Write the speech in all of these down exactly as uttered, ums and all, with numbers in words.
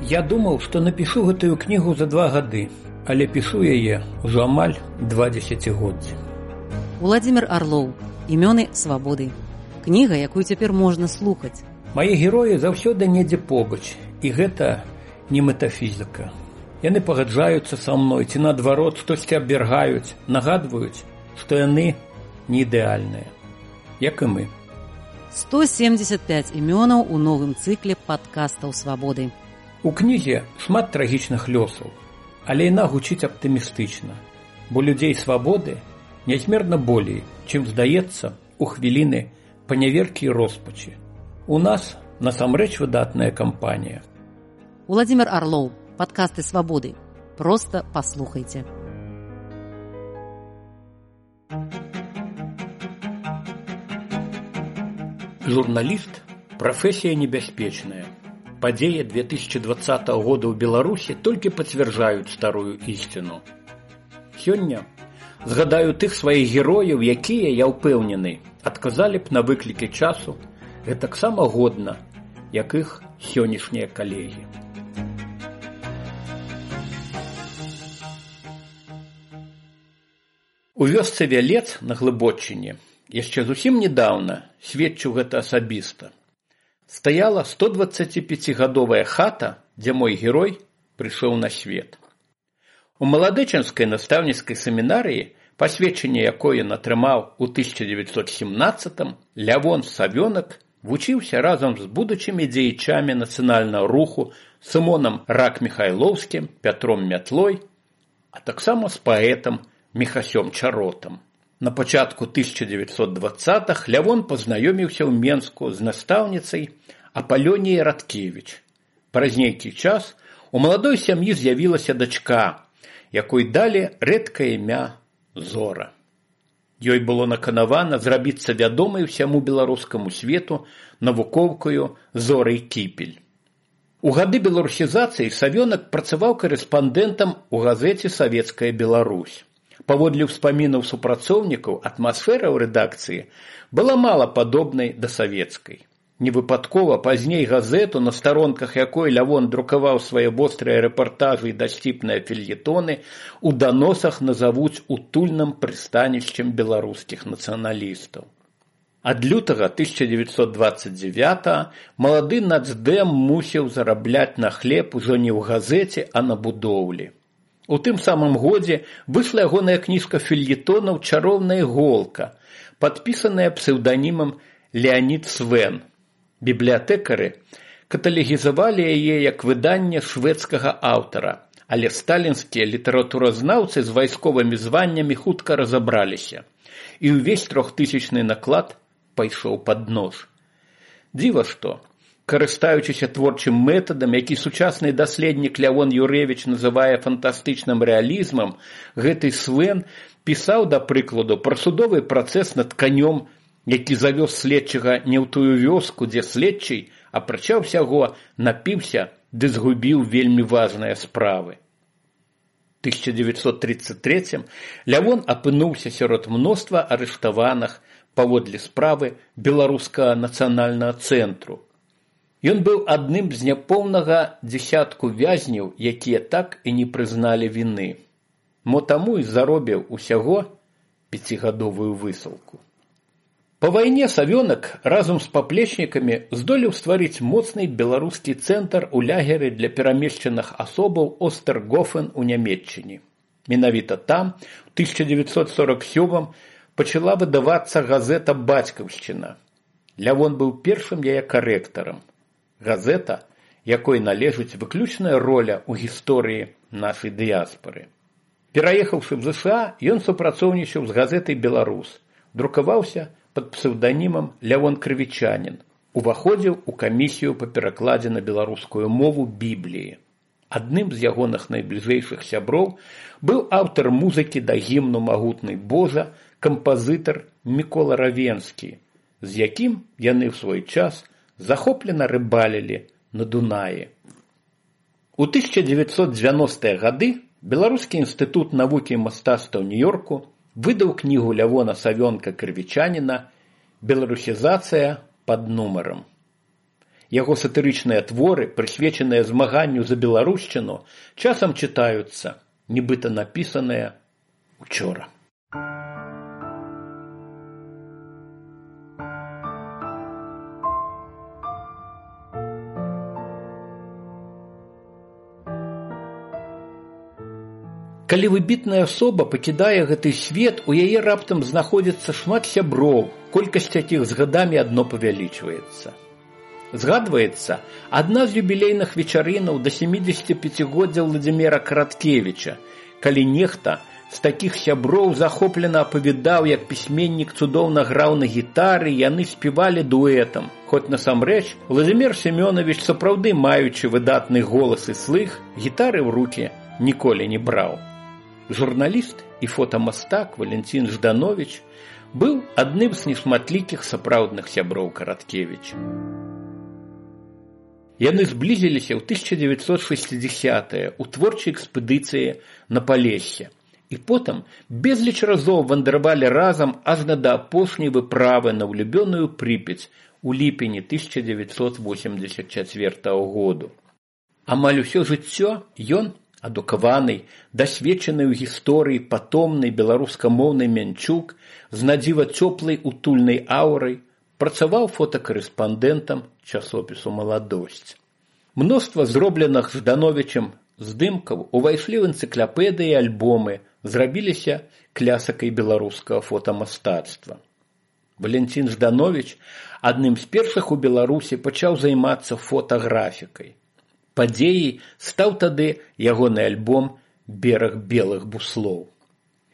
Я думаў, што напішу гэтую кнігу за два гады, але пішу яе ўжо амаль два дзесяцігоддзі. Уладзімір Арлоў. Імёны свабоды. Кніга, якую цяпер можна слухаць. Мае героі заўсёды недзе побач, і гэта не метафізіка. Яны пагаджаюцца са мной, ці наадварот штосьці абвяргаюць, нагадваюць, што яны не ідэальныя, як і мы. сто семьдесят пять імёнаў у новым цыкле падкастаў свабоды. У кнізе шмат трагічных лёсаў, але яна гучыць аптымістычна, бо людзей свабоды нязмерна болей, чым здаецца у хвіліны паняверкі і роспачы. У нас насамрэч выдатная кампанія. Уладзімір Арлоў. Падкасты свабоды. Проста паслухайце. Журналіст – прафесія небяспечная. Падзеі две тысячи двадцатого года ў Беларусі толькі пацвярджаюць старую ісціну. Сёння згадаю тых сваіх герояў, якія, я ўпэўнены, адказалі б на выклікі часу гэтаксама годна, як іх сённяшнія калегі. У вёсцы Вялец на Глыбоччыне яшчэ зусім недаўна, сведчу гэта асабіста, стаяла сто дваццаціпяцігадовая хата, дзе мой герой прыйшоў на свет. У маладычанскай настаўніцкай семінарыі, пасведчанне якое ён атрымаў у тысяча дзевяцьсот семнаццатым, Лявон Савёнак вучыўся разам з будучымі дзеячамі нацыянальнага руху Сымонам Рак-Міхайлоўскім, Пятром Мятлой, а таксама з паэтам Міхасём Чаротам. На пачатку тысяча дзевяцьсот дваццатых Лявон пазнаёміўся ў Менску з настаўніцай Апалёніяй Радкевіч. Праз нейкі час у маладой сям'і з'явілася дачка, якой далі рэдкае імя Зора. Ёй было наканавана зрабіцца вядомай усяму беларускаму свету навукоўкаю Зорай Кіпель. У гады беларусізацыі Савёнак працаваў карэспандэнтам у газеце «Савецкая Беларусь». Паводле ўспамінаў супрацоўнікаў, атмасфера ў рэдакцыі была мала падобнай да савецкай. Невыпадкова пазней газету, на старонках якой Лявон друкаваў свае вострыя рэпартажы і дасціпныя фельетоны, у даносах назавуць утульным прыстанішчам беларускіх нацыяналістаў. Ад лютага тысяча дзевяцьсот дваццаць дзевятага малады нацдэм мусіў зарабляць на хлеб ужо не ў газеце, а на будоўлі. У тым самым годзе выйшла ягоная кніжка фельетонаў «Чароўная іголка», падпісаная псеўданімам Леанід Свен. Бібліятэкары каталегізавалі яе як выданне шведскага аўтара, але сталінскія літаратуразнаўцы з вайсковымі званнямі хутка разабраліся, і ўвесь трохтысячны наклад пайшоў пад нож. Дзіва што, карыстаючыся творчым метадам, які сучасны даследнік Лявон Юрэвіч называе фантастычным рэалізмам, гэты Свен пісаў, да прыкладу, пра судовы працэс над канём, які завёз следчага не ў тую вёску, дзе следчый, апрача ўсяго, напіўся ды згубіў вельмі важныя справы. тысяча дзевяцьсот тридцать третьем Лявон апынуўся сярод мноства арыштаваных паводле справы Беларускага нацыянальнага цэнтру. Ён быў адным з няпоўнага дзесятку вязняў, якія так і не прызналі віны. Мо таму і заробіў усяго пяцігадовую высылку. Па вайне Савёнак разам з паплечнікамі здолеў стварыць моцны беларускі цэнтр у лагеры для перамешчаных асобаў Остергофен у Нямецчыне. Менавіта там у тысяча дзевяцьсот сорок сёмым пачала выдавацца газета «Бацькаўшчына». Лявон быў першым яе карэктарам. Газета, якой належыць выключная роля ў гісторыі нашай дыяспары. Пераехаўшы в ЗША, ён супрацоўнічаў з газетай «Беларус», друкаваўся пад псеўданімам Лявон Крывічанін, уваходзіў у камісію па перакладзе на беларускую мову Бібліі. Адным з ягоных найбліжэйшых сяброў быў аўтар музыкі да гімну «Магутны Божа», кампазітар Мікола Равенскі, з якім яны ў свой час захоплена рыбалілі на Дунаі. У тысяча дзевяцьсот дзевяностыя гады Беларускі інстытут навукі і мастацтва ў Нью-Йорку выдаў кнігу Лявона Савёнка Крывічаніна «Беларусізацыя пад нумарам». Яго сатырычныя творы, прысвечаныя змаганню за беларушчыну, часам чытаюцца, нібыта напісаныя учора. Калі выбітная асоба пакідае гэты свет, у яе раптам знаходзіцца шмат сяброў, колькасць якіх з гадамі адно павялічваецца. Згадваецца адна з юбілейных вечарынаў да сямідзесяціпяцігоддзя Владзіміра Караткевіча, калі нехта з такіх сяброў захоплена апавядаў, як пісьменнік цудоўна граў на гітары, яны спявалі дуэтам. Хоць насамрэч Владзімір Семёнавіч, сапраўды маючы выдатны голас і слых, гітары ў рукі ніколі не браў. Журналіст і фотамастак Валентин Жданович быў адным з нешматлікіх сапраўдных сяброў Караткевіча. Яны зблізіліся ў тысяча дзевяцьсот шэсцідзесятыя ў творчай экспедыцыі на Палессе і потым безліч разоў вандравалі разам аж да апошняй выправы на ўлюбёную Прыпяць у ліпені тысяча дзевяцьсот восемьдесят чацвёртага году. Амаль усё жыццё ён, адукаваны, дасведчаны ў гісторыі патомны беларускамоўны Мянчук з надзіва цёплай утульнай аўрай, працаваў фотакарэспандэнтам часопісу «Маладосць». Мноства зробленых Ждановічам здымкаў увайшлі ў энцыклапедыі і альбомы, зрабіліся клясыкай беларускага фотамастацтва. Валентин Жданович адным з першых у Беларусі пачаў займацца фотаграфікай. Падзеяй стаў тады ягоны альбом «Бераг белых буслоў».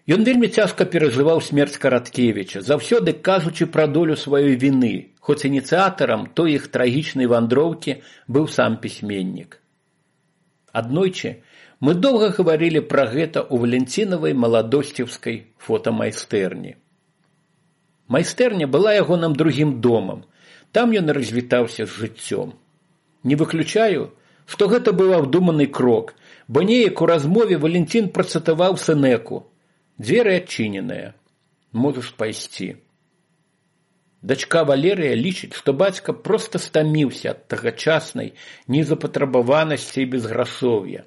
Ён вельмі цяжка перажываў смерць Караткевіча, заўсёды кажучы пра долю сваёй віны, хоць ініцыятарам той іх трагічнай вандроўкі быў сам пісьменнік. Аднойчы мы доўга гаварылі пра гэта ў Валентинавай маладосцеўскай фотамайстэрні. Майстэрня была ягоным другім домам, там ён развітаўся з жыццём. Не выключаю, што гэта быў абдуманы крок, бо неяк у размове Валентин працытаваў Сенеку: «Дзверы адчыненыя, можаш пайсці». Дачка Валерыя лічыць, што бацька проста стаміўся ад тагачаснай незапатрабаванасці і безграшоўя.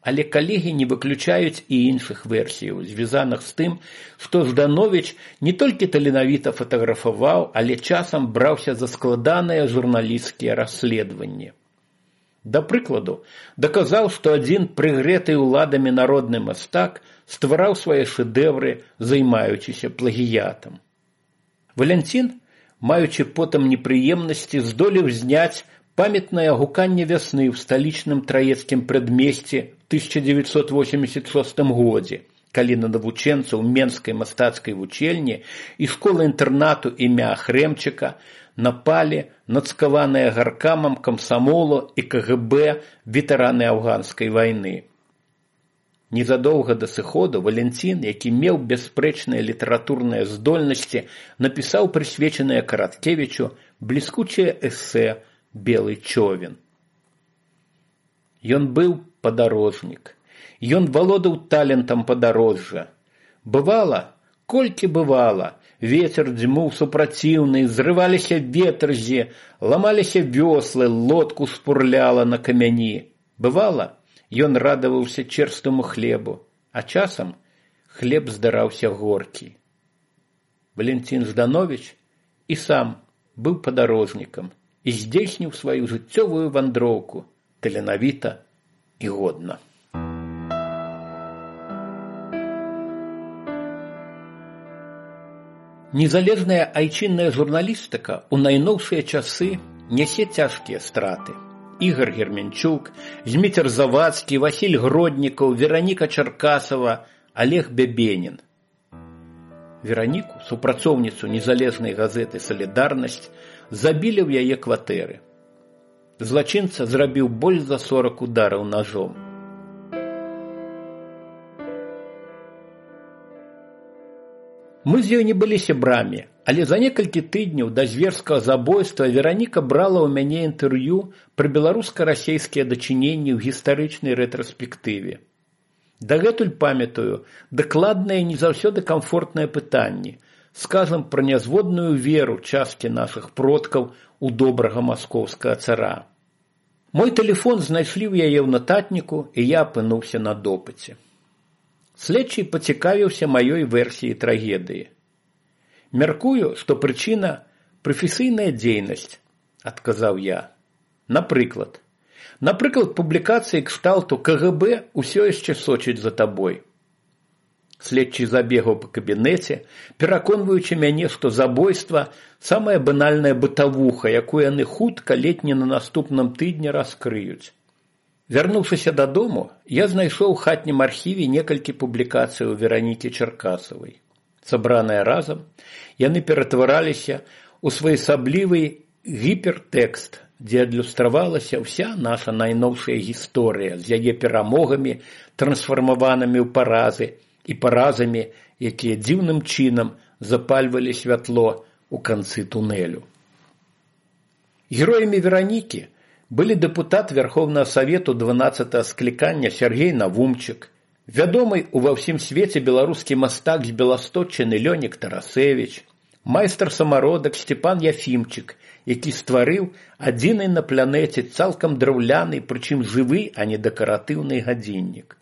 Але калегі не выключаюць і іншых версіяў, звязаных з тым, што Жданович не толькі таленавіта фатаграфаваў, але часам браўся за складаныя журналісцкія расследаванні. Да прыкладу, даказаў, што адзін прыгрэты ўладамі народны мастак ствараў свае шэдэвры, займаючыся плагіятам. Валентин, маючы потым непрыемнасці, здолеў зняць памятнае гуканне вясны ў сталічным траецкім прадмесці ў тысяча дзевяцьсот восемьдесят шостым годзе, калі на навучэнцаў Менскай мастацкай вучэльні і школы-інтэрнату імя Хрэмчыка напалі нацкаваныя гаркамам камсамолу і ка гэ бэ ветэраны афганскай вайны. Незадоўга да сыходу Валентин, які меў бясспрэчныя літаратурныя здольнасці, напісаў прысвечанае Караткевічу бліскучае эсэ «Белы човен». Ён быў падарожнік. Ён валодаў талентам падарожжа. Бывала, колькі бывала, ветер дзьмуў супраціўны, зрываліся ветрзі, ламаліся вёслы, лодку спурляла на камяні. Бывала, ён радаваўся чэрстаму хлебу, а часам хлеб здараўся горкі. Валентин Жданович і сам быў падарожнікам і здзейсніў сваю жыццёвую вандроўку таленавіта і годна. Незалежная айчынная журналістыка ў найноўшыя часы нясе цяжкія страты. Ігор Герменчук, Зміцер Завадскі, Васіль Гроднікаў, Вераніка Чаркасава, Олег Бябенін. Вераніку, супрацоўніцу незалежнай газеты «Салідарнасць», забілі ў яе кватэры. Злачынца зрабіў больш за сорак удараў ножом. Мы з ёй не былі сябрамі, але за некалькі тыдняў да зверскага забойства Вераніка брала ў мяне інтэрв'ю пра беларуска-расейскія дачыненні ў гістарычнай рэтраспектыве. Дагэтуль памятаю дакладныя не заўсёды камфортныя пытанні: скажам пра нязводную веру часткі нашых продкаў у добрага маскоўскага цара. Мой тэлефон знайшлі ў яе ў нататніку, і я апынуўся на допыце. Следчы пацікавіўся маёй версіяй трагедыі. Мяркую, што прычына прафесійная дзейнасць, адказаў я. Напрыклад, напрыклад, публікацыі кшталту ка гэ бэ ўсё яшчэ сочыць за табой. Следчы забегаў па кабінеце, пераконваючы мяне, што забойства – самая банальная бытавуха, якую яны хутка ледзь не на наступным тыдні раскрыюць. Вярнуўшыся дадому, я знайшоў у хатнім архіве некалькі публікацый у Веранікі Чаркасавай. Сабраныя разам, яны ператвараліся ў своеасаблівы гіпертэкст, дзе адлюстравалася ўся наша найноўшая гісторыя з яе перамогамі, трансфармаванымі ў паразы, і паразамі, якія дзіўным чынам запальвалі святло ў канцы тунэлю. Героямі Веранікі былі дэпутат Верховнага Савету дванаццатага склікання Сергей Навумчык, вядомы ува ўсім свеце беларускі мастак з Беластотчыны Лёнік Тарасевіч, майстар-самародак Степан Яфімчык, які стварыў адзіны на планеце цалкам драўляны, прычым жывы, а не дэкаратыўны гадзіннік.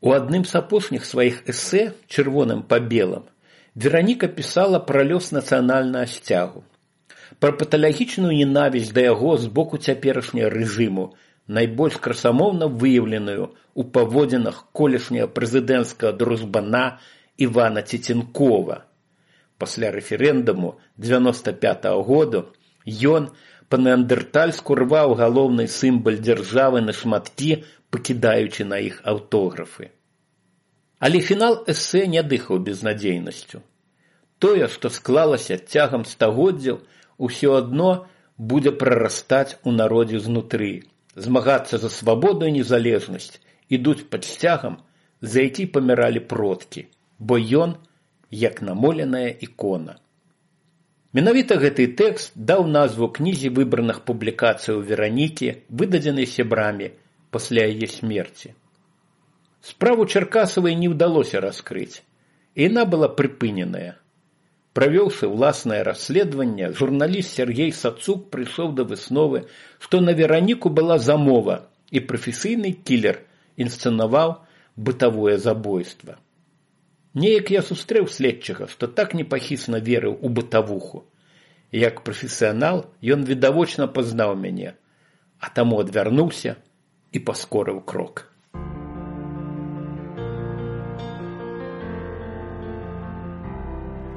У адным з апошніх сваіх эсэ «Чырвоным па белым» Вераніка пісала пра лёс нацыянальнага сцягу, пра паталагічную ненавісць да яго з боку цяперашняга рэжыму, найбольш красамоўна выяўленую ў паводзінах колішняга прэзідэнцкага дружбана Івана Цеценкова. Пасля рэферэндуму дзевяноста пятага году ён па-неандэртальску рваў галоўны сімвал дзяржавы на шматкі, пакідаючы на іх аўтографы. Але фінал эсэ не дыхаў безнадзейнасцю. Тое, што склалася цягам стагоддзяў, усё адно будзе прарастаць у народзе знутры, змагацца за свабоду і незалежнасць, ідуць пад сцягам, за які паміралі продкі, бо ён як намоленая ікона. Менавіта гэты тэкст даў назву кнізе выбраных публікацый у Веранікі, выдадзенай сябрамі пасля яе смерці. Справу Чаркасавай не ўдалося раскрыць, і яна была прыпыненая. Правёўшы ўласнае расследаванне, журналіст Сергей Сацук прыйшоў да высновы, што на Вераніку была замова, і прафесійны кілер інсцэнаваў бытавое забойства. Неяк я сустрэў следчага, што так непахісна верыў у бытавуху. Як прафесіянал ён відавочна пазнаў мяне, а таму адвярнуўся і паскорыў крок.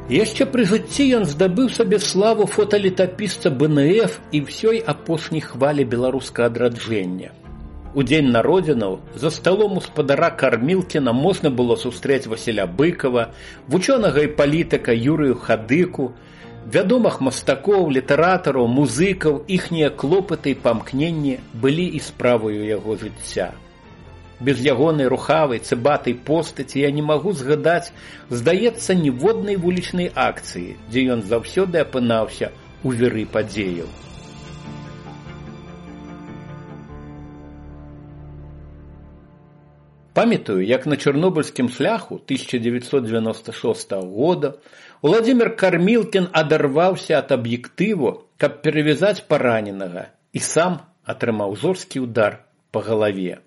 Яшчэ пры жыцці ён здабыў сабе славу фоталетапісца бэ эн эф і ўсёй апошняй хвалі беларускага адраджэння. У дзень народзінаў за сталом у спадара Кармілкіна можна было сустрэць Васіля Быкова, вучонага і палітыка Юрыю Хадыку, вядомых мастакоў, літаратараў, музыкаў, іхнія клопаты і памкненні былі і справаю яго жыцця. Без ягонай рухавай, цыбатай постаці я не магу згадаць, здаецца, ніводнай вулічнай акцыі, дзе ён заўсёды апынаўся у віры падзеяў. Памятаю, як на чарнобыльскім шляху тысяча дзевяцьсот дзевяноста шостага года Уладзімір Кармілкін адарваўся ад аб'ектыву, каб перавязаць параненага, і сам атрымаў жорсткі удар па галаве.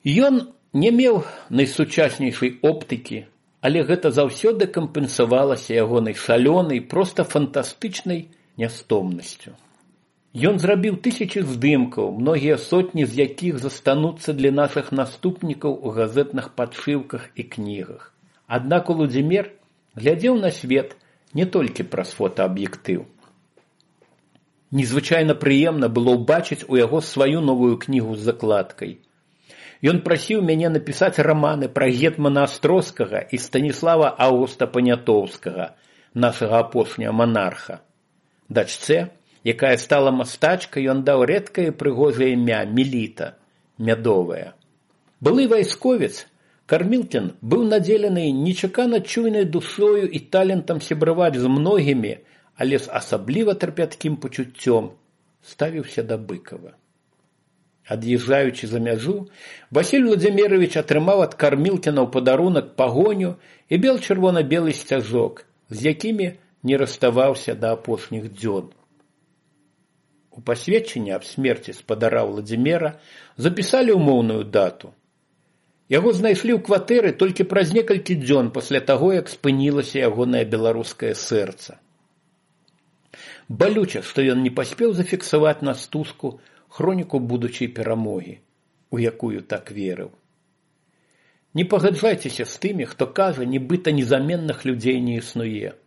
Ён не меў найсучаснейшай оптыкі, але гэта заўсёды кампенсавалася ягонай шалёнай, проста фантастычнай нястомнасцю. Ён зрабіў тысячы здымкаў, многія сотні з якіх застануцца для нашых наступнікаў у газетных падшыўках і кнігах. Аднак Уладзімір глядзеў на свет не толькі праз фотааб'ектыў. Незвычайна прыемна было ўбачыць у яго сваю новую кнігу з закладкай. Ён прасіў мяне напісаць раманы пра гетмана Астроскага і Станіслава Аўгуста Панятоўскага, нашага апошняга монарха. Дачцэ, якая стала мастачкай, ён даў рэдкае прыгожае імя Меліта, мядовая. Былы вайсковец, Кармілкін быў надзелены нечакана чуйнай душою і талентам сябраваць з многімі, але з асабліва трапяткім пачуццём ставіўся да Быкава. Ад'язджаючы за мяжу, Васіль Владзімірович атрымаў ад Кармілкіна ў падарунак пагоню і бел чырвона-белы сцяжок, з якімі не расставаўся да апошніх дзён. У пасведчанні аб смерці спадара Владзіміра запісалі ўмоўную дату. Яго знайшлі ў кватэры толькі праз некалькі дзён пасля таго, як спынілася ягонае беларускае сэрца. Балюча, што ён не паспеў зафіксаваць на стужку хроніку будучай перамогі, у якую так верыў. Не пагаджайцеся з тымі, хто кажа, нібыта незаменных людзей не існуе.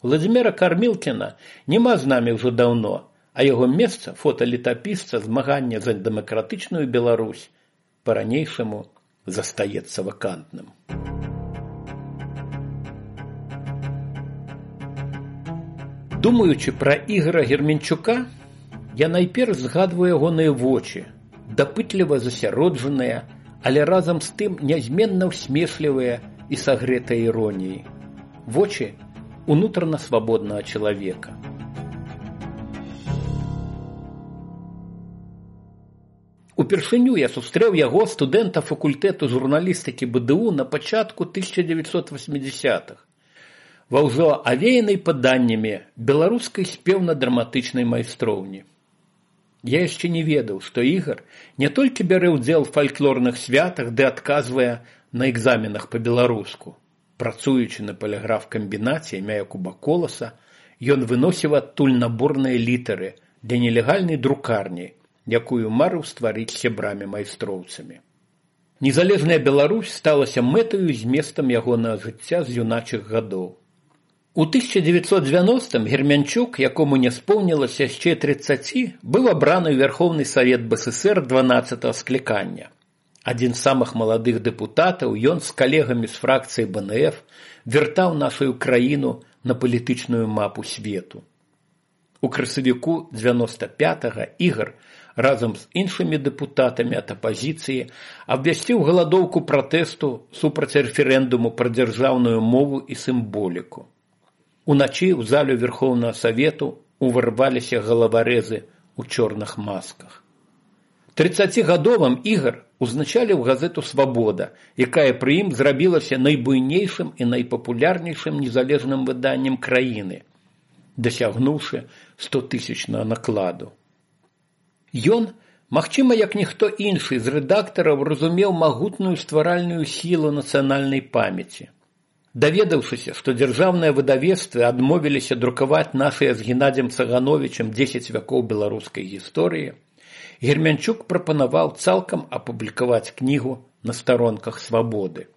Владзіміра Кармілкіна няма з намі ўжо даўно, а яго месца, фоталетапісца змагання за дэмакратычную Беларусь, па-ранейшаму застаецца вакантным. Думаючы пра Ігара Герменчука, я найперш згадваю ягоныя вочы, дапытліва засяроджаныя, але разам з тым нязменна ўсмешлівыя і сагрэтыя іроніяй. Вочы унутрана свабоднага чалавека. Упершыню я сустрэў яго, студэнта факультэту журналістыкі бэ дэ у, на пачатку тысяча дзевяцьсот васьмідзясятых, ва ўжо авеянай паданнямі беларускай спеўна-драматычнай майстроўні. Я яшчэ не ведаў, што Ігар не толькі бярэ ўдзел у фальклорных святах, ды адказвае на экзаменах па-беларуску. Працуючы на паліграф-камбінаце імя Якуба Коласа, ён выносіў адтуль наборныя літары для нелегальнай друкарні, якую марыў стварыць сябрамі-майстроўцамі. Незалежная Беларусь сталася мэтаю і зместам ягонага жыцця з юначых гадоў. У тысяча дзевяцьсот дзевяностым Герменчук, якому не споўнілася яшчэ трыццаці, быў абраны ў Верховны Савет бэ эс эсэр дванаццатага склікання. Адзін з самых маладых дэпутатаў, ён з калегамі з фракцыі бэ эн эф вяртаў нашу краіну на палітычную мапу свету. У красавіку дзевяноста пятага Ігар разам з іншымі дэпутатамі ад апазіцыі абвясціў галадоўку пратэсту супраць рэферэндуму пра дзяржаўную мову і сімволіку. Уначы ў залю Верховнага Савету уварваліся галаварэзы ў чорных масках. трыццацігадовым Ігар узначаліў газету «Свабода», якая пры ім зрабілася найбуйнейшым і найпапулярнейшым незалежным выданнем краіны, дасягнуўшы стотысячнага накладу. Ён, магчыма, як ніхто іншы з рэдактараў, разумеў магутную стваральную сілу нацыянальнай памяці. Даведаўшыся, што дзяржаўныя выдавецтвы адмовіліся друкаваць нашыя з Геннадзем Цагановічам дзесяць вякоў беларускай гісторыі, Герменчук прапанаваў цалкам апублікаваць кнігу на старонках «Свабоды».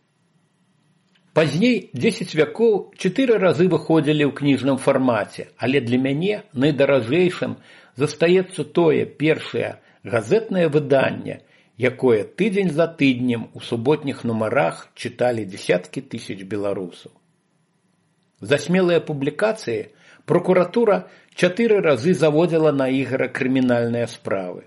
Пазней дзесяць вякоў чатыры разы выходзілі ў кніжным фармаце, але для мяне найдаражэйшым застаецца тое першае газетнае выданне, якое тыдзень за тыднем у суботніх нумарах чыталі дзесяткі тысяч беларусаў. За смелыя публікацыі прокуратура чатыры разы заводзіла на Ігара крымінальныя справы.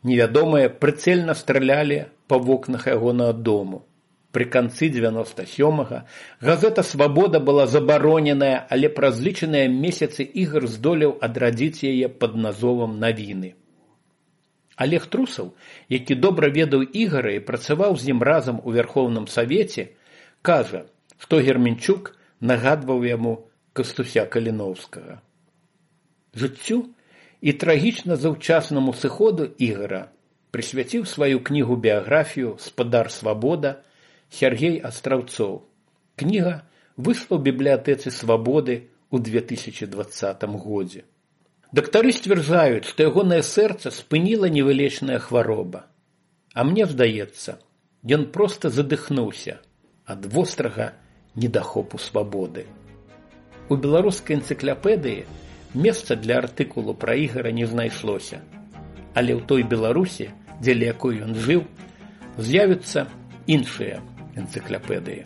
Невядомыя прыцэльна стралялі па вокнах ягонага дому. Пры канцы дзевяноста сёмага газета «Свабода» была забароненая, але праз лічаныя месяцы Ігар здолеў адрадзіць яе пад назовам «Навіны». Алег Трусаў, які добра ведаў Ігара і працаваў з ім разам у Верховным Савеце, кажа, што Герменчук нагадваў яму Кастуся Каліноўскага. Жыццю і трагічна заўчаснаму сыходу Ігара прысвяціў сваю кнігу-біяграфію «Спадар Свабода» Сергей Астраўцоў. Кніга выйшла ў бібліятэцы «Свабоды» ў две тысячы дваццатым годзе. Дактары сцвярджаюць, што ягонае сэрца спыніла невылечная хвароба. А мне здаецца, ён проста задыхнуўся ад вострага недахопу свабоды. У беларускай энцыклапедыі месца для артыкулу пра Ігара не знайшлося, але ў той Беларусі, дзеля якой ён жыў, з'явяцца іншыя энцыклапедыі.